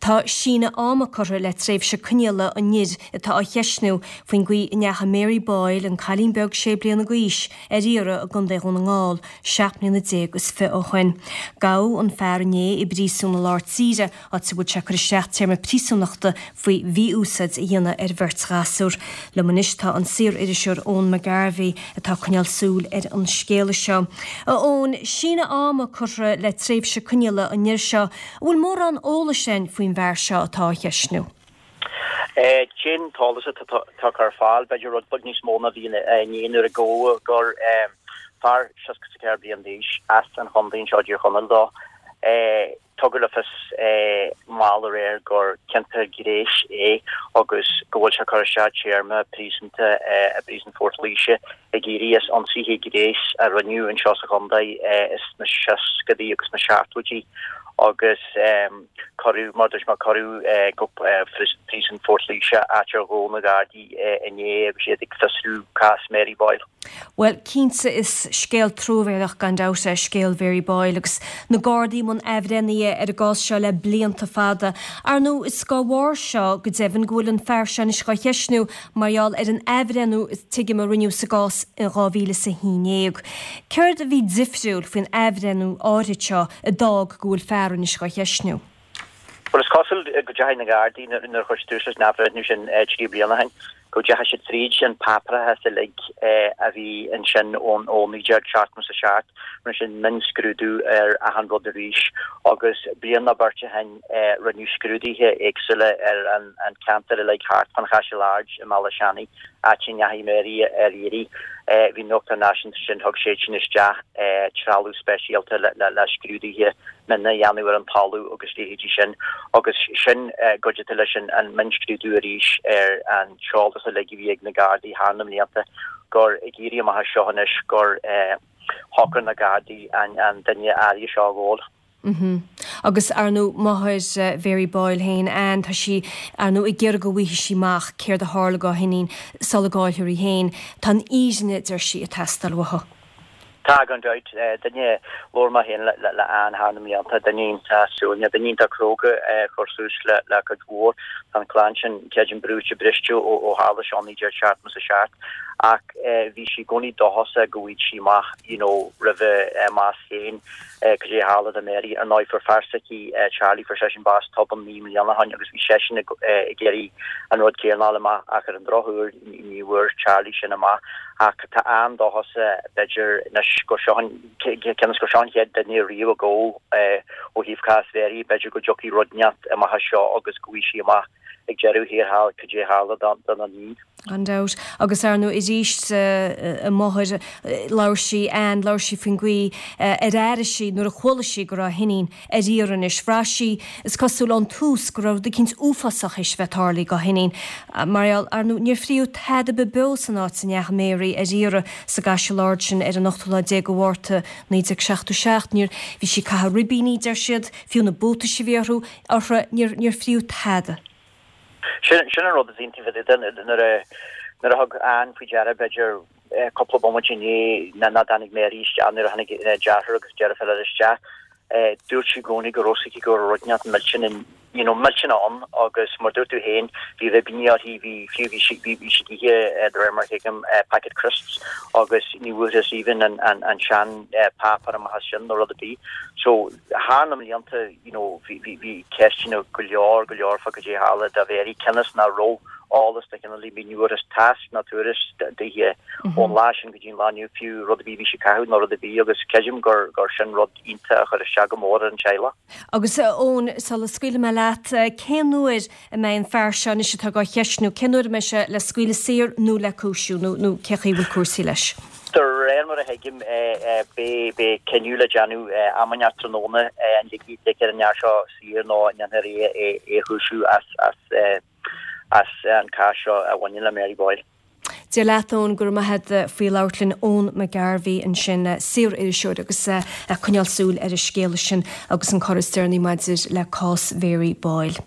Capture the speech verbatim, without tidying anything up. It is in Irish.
Tá síneadh ama curtha le tréimhse coinneála an fhir atá á cheistniú faoin gcaoi a ndeachaigh Mary Boyle, an cailín beag sé bliana d'aois, ar iarraidh i gContae Dhún na nGall seacht mbliana déag is fiche ó shin. Gabhadh an fear inné i bpríosún i lár tíre, áit a bhfuil sé ag cur isteach téarma príosúnachta faoi mhí-úsáid a dhéanamh ar bheirt ghasúr. Liom anois tá an saor-iriseoir Eoin McGarvey atá ag coinneáil súil ar an scéala seo. A Eoin, síneadh ama curtha le tréimhse coinneála an fhir seo, an bhfuil mórán eolais againn faoin bhfear seo atá á cheistniú. Cén t-eolas atá tugtha ar fáil, b'fhéidir rud beag níos mó ná bhí inné nuair a gabhadh gur fear seasca is a ceathair bliain d'aois as an chontae anseo i dTír Chonaill dó. Tugadh le fios mall aréir gur ciontaithe gnéis é agus go bhfuil sé ag cur isteach téarma príosúnta i bpríosún Phort Laoise ag éirí as ionsaithe gnéis a rinneadh anseo sa chontae sna seascadaí agus sna seachtóidí agus cuireadh, mar dúirt mé, cuireadh go príosún Phort Laoise, áit ar ghabh na Gardaí inné agus iad ag fiosrú cás Mary Boyle. Bhuel, cinnte is scéal truamhéalach gan dabht é scéal Mhary Boyle agus na Gardaí i mbun athbhreithnithe ar an gcás seo le blianta fada. Ar ndóigh, is dá bharr seo go deimhin go bhfuil an fear seo anois dhá cheistniú mar gheall ar an athbhreithniú tuigim a rinneadh sa gcás in dhá mhíle is a haon déag. Céard a bhí difriúil faoin athbhreithniú áirid seo a d'fhág go bhfuil fear anois dhá cheistniú? Bhuel, is cosúil go dteachaigh na Gardaí nuair a chuir siad tús leis an athbhreithniú sin trí bliana ó shin, go dteachaigh siad fríd an páipéarachas uilig a bhí ansin ó naoi déag seachtó is a seacht, rinne siad mionscrúdú ar achan rud arís agus bliain nó beirt ó shin rinneadh scrúduithe éagsúla ar an cheantar uilig thart fán Chaiseal Ard i mBealach Seanaidh, áit a ndeachaigh Mary ar iarraidh. Bhí nuachtán náisiúnta ansin, thug siad sin isteach trealamh speisialta le scrúduithe mion a dhéanamh ar an talamh agus leithéidí sin agus sin cuidithe leis an mionscrúdú arís ar an t-eolas uilig a bhí ag na Gardaí thar na mblianta gur ag éirí amach as seo anois gur shocraigh na Gardaí an duine áirithe seo a ghabháil. Agus ar ndóigh máthair Mhary Boyle féin, Ann, tá sí ar ndóigh ag iarraidh go bhfaighidh sí amach céard a tharla dá hiníon sula gcaillfear í féin. Tá an fhírinne, deir sí, ag teastáil uathu. Tá, gan dabht. Duine, labhair mé féin le Ann thar na mblianta, duine iontach suaimhneach, duine iontach cróga a chuir suas le cuid mhór. Tá an chlann sin, creidim, brúite briste ó tharla seo naoi déag seachtó is a seacht ach bhí sí i gcónaí dóchasach go bhfaigheadh sí amach you know roimh a bás féin cad é a tharla do Mary. Ar ndóigh fuair fear s'aici Charlie, fuair seisean bás tobann naoi mbliana ó shin agus bhí seisean ag iarraidh an rud céanna a fháil amach ach ar an drochuair ní bhfuair Charlie sin amach. Ach tá Ann dóchasach b'fhéidir anois gur seo an cionn is gur seo an chéad duine riamh a gabhadh ó thaobh cás Mhary, b'fhéidir go dtiocfaidh rud inteacht amach as seo agus go bhfaighidh sí amach ag deireadh thiar thall cad é a tharla dona níon. Gan dabht. Agus ar ndóigh arís a máthair, labhair sí, Ann, labhair sí faoin gcaoi ar airigh sí nuair a chuala sí go raibh a hiníon ar iarraidh anois. Bhraith sí, is cosúil ón tús, go raibh rud eicínt uafásach théis a bheith tarlaithe dá hiníon. Mar gheall, ar ndóigh, níor fríodh tada ar bith beo san áit a ndeachaigh Mary ar iarraidh sa gCaiseal Ard sin ar an ochtú lá déag de Mhárta naoi déag seachtó seacht. Níor, bhí sí ag caitheamh ribíní, deir siad, fiú na buataisí a bhí orthu, uirthi, níor, níor fríodh tada. Sin sin an rud is iontaí fá dtaobh de nuair a nuair a thug Ann faoi deara b'fhéidir cúpla bomaite i ndiaidh nach dtáinig Mary isteach nuair a tháinig a deartháir agus deirfiúr eile isteach dúirt sí i gcónaí go raibh a fhios aici go raibh rud inteacht millteanach you know millteanach ann agus mar dúirt tú féin bhí ribíní uirthi bhí fiú bhí sí bhí sí ag ithe de réir mar a thuigim packet crisps agus ní bhfuarthas even an an an sean páipéar amach as sin nó rud ar bith so thar na mblianta you know bhí bhí bhí ceisteanna go leor go leor fá cad é a tharla do Mhary cionn is nach raibh eolas de chineál ar bith ní bhfuarthas tásc ná tuairisc dithe ón lá sin go dtí an lá inniu fiú rud ar bith a bhí sí ag caitheamh nó rud ar bith agus creidim gur gur sin rud iontach a chuir isteach go mór ar an teaghlach. Agus a Eoin, sula scaoilfidh mé leat, cén uair a mbeidh an fear seo anois atá dhá cheistniú, cén uair a mbeidh sé le scaoileadh saor nó le cúisiú nó nó cé chaoi a bhfuil cúrsaí leis? De réir mar a thuigim, beidh cinneadh le déanamh am inteacht tráthnóna an ligfear an fear seo saor nó an ndéanfar é a chúisiú as an cás seo a bhaineann le Mary Boyle. Dia leat, Eoin, go raibh maith agat faoi labhairt linn. Eoin McGarvey ansin, saor-iriseoir agus ag coinneáil súil ar an scéala sin agus an cor is deireanaí maidir le cás Mhary Boyle.